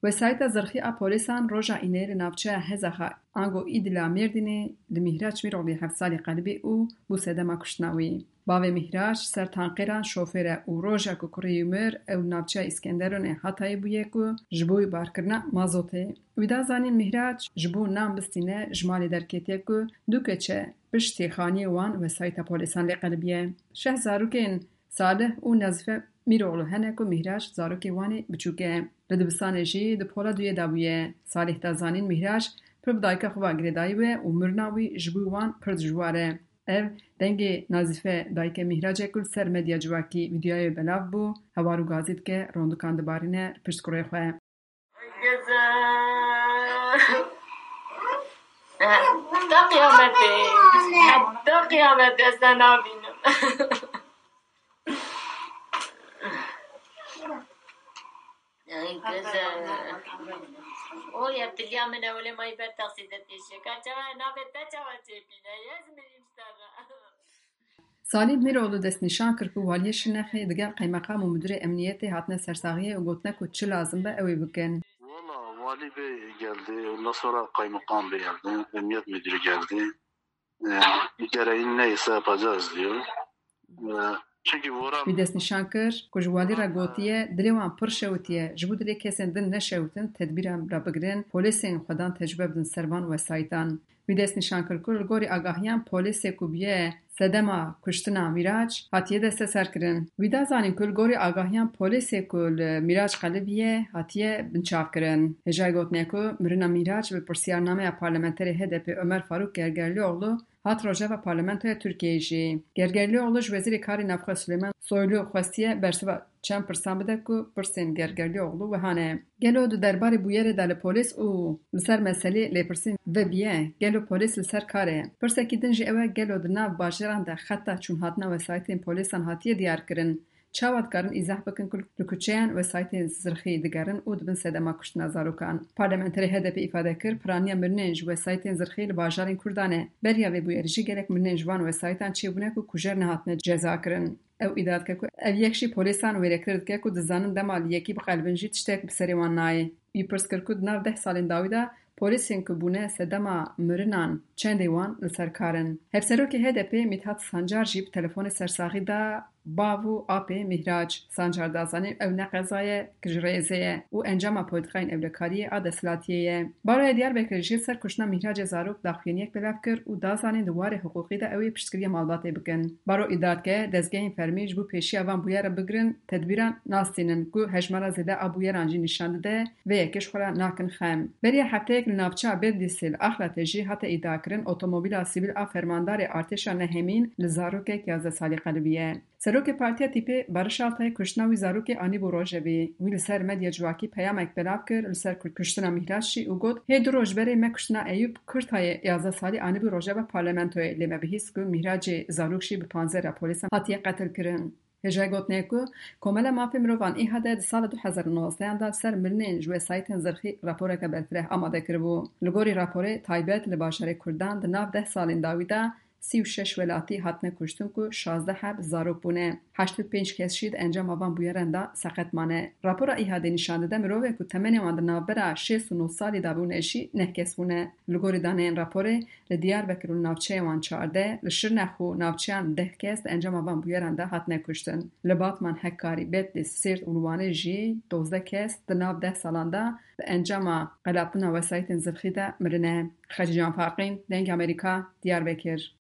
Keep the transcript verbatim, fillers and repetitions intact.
Wesayîta zirxî a polîsan roja înê li navçeya Hezaxa ango Îdila Mêrdînê li Mîhraç Mîroglî heft salî qelibî û bû sedema kuştina wî. Bavê Mîhraç ser tankêran şofêr e û roja ku kurê wî mir ew li navçeya Îskenderunê Hatayê bûye ku ji bo wî barkirina mazotê. Wî da zanîn Mîhraç ji bo nan bistîne ji malê derketiye ku du keç e piştî xaniyê wan wesayîta polîsan lê qelibiye. Şeh zarokên Salih û Nazife Mîroğlu hene ku Mîhraç zarokê wan ê biçûk e. Li dibistanê jî di pola duyê de bûye. Salih da zanîn Mîhraç pir bi dayika xwe ve girêdayî bûye û mirina wî ji bo wan pir dijwar e. Ev dengê Nazife dayikê Mîhrac e ku li ser medya civakî vîdeoyê belav bû, hewar û gazî dike, rondikan dibarîne li pişt kurê xwe. Heta qiyametê, heta qiyametê ez te nabînim. Ey kız, e, o ya tiliya min ewle may ber taksî de têşe. Ka çawa navê te çawa çêbîne? Ez mirîm sera. Salih Mîroğlu destnîşan kir ku waliyê Şirnexê digel qeymeqam û müdürê emniyetê hatine sersaxiyê û gotine ku çi lazim be ew ê bikin. Valla vali bey geldi, ondan sonra kaymakam bey geldi, emniyet müdürü geldi. E, gereğini neyse yapacağız diyor. E, çünkü Voran Wî destnîşan kir ku ji walî re gotiye, dilê wan pir şewitiye, ji bo dilê kesên din neşewitin tedbîran re bigirin, polîsên xwedan tecrube bidin ser van wesayîtan. Wî destnîşan kir ku li gorî agahiyan polîsê ku bûye sedema kuştina Mîraç hatiye desteserkirin. Wî da zanîn ku li gorî agahiyan polîsê ku li Mîraç qelibiye hatiye binçavkirin. Hêjayî gotinê ku mirina Mîraç bi pirsiyarnameya parlamenterê H D P Ömer Faruk Gergerlioğlu hat rojeva Parlamentoya Tirkiyeyê jî. Gergerlioğlu ji Wezîrê Karê Navxwe Suleyman Soylu xwestiye bersiva çend pirsan bide ku pirsên Gergerlioğlu wiha ne. Gelo di derbarê bûyerê de li polîs û li ser meselê lêpirsîn vebiye? Gelo polîs li ser kar e? Pirsekî din jî ew e, gelo di nav bajêran de xeta çûnhatina wesayîtên polîsan hatiye diyarkirin? Çawa dikarin îzah bikin ku li kuçeyan wesayîtên zirxî digerin û dibin sedema kuştina zarokan? Parlamenterê H D P îfade kir, piraniya mirinên ji wesayîtên zirxî li bajarên Kurdan e. Beriya vê bûyerî jî gelek mirinên ji van wesayîtan çêbûne ku kujer nehatine cezakirin. Ew îdia dike ku ev yek jî polîsan wêrektir dike ku dizanin dema li yekî biqelibin jî tiştek bi serê wan nayê. Wî pirs kir ku di nav deh salên dawî de polîsên ku bûne sedema mirinan çendê wan li ser kar in. Hevserokê H D P Mithat Sancar jî bi telefonê sersaxî da bav û apê Mîhrac. Sancar da zanîn ew ne qeza ye, ku ji rêzê ye û encama polîtîkayên ewlekariyê a desthilatiyê ye. Baroya Diyarbekirê jî li ser kuştina Mîhracê zarok daxuyaniyek belav kir û da zanîn di warê hiqûqî de ew ê piştgiriya malbatê bikin. Baro îdia dike, dezgehên fermî ji bo pêşiya van bûyere bigirin tedbîran nastînin ku hejmara zêde a bûyeran jî nîşan dide vê yekê ji xwe re nakin xem. Beriya hefteyek li navçeya Bedlîsê li Axlatê jî hate îdiakirin otomobîla sivîl a fermandarê artêşa nehemîn li zarokek yazdeh salî qelibiye. Serokê Partiya Tîpê Barış Altay kuştina wî zarokê anîbû rojevê. Wî li ser medya civakî peyamek belav kir li ser ku-, kuştina Mîhraç jî û got, hê du roj berê me kuştina Eyûp Kurtayê yazdeh salî anîbû rojeva parlamentoyê, lê me bihîst ku Mîhracê zarok jî bi panzera polîsan hatiye qetilkirin. Hêjayî gotinê ku Komela Mafê Mirovan, ÎHD, di sala du hezar û nozdehan de li ser mirinên ji wesayîtên zirxî raporeke berfireh amade kiribû. Li gorî raporê taybet, li bajarê Kurdan di nav deh salên dawî de sî û şeş welatî hatine kuştin ku şazdeh heb zarok bûne. Heştê û pênc kes jî di encama van bûyeran de seqet mane. Rapora ÎHD'ê nîşan dide mirovên ku temenê wan di navbera şêst û nod salî de bûne jî neh kes bûne. Li gorî daneyên raporê, li Diyarbekir û navçeyê wan çardeh, li Şirnex û navçeyan deh kes di encama van bûyeran de hatine kuştin. Li Batman, Hekkarî, Bedlîs, Sêrt û li Wanê jî dozdeh kes di nav deh salan de di encama qelatina wesayîtên zirxî de mirine. Xecîcan Faqîn, Dengê Amerîka, Diyarbekir.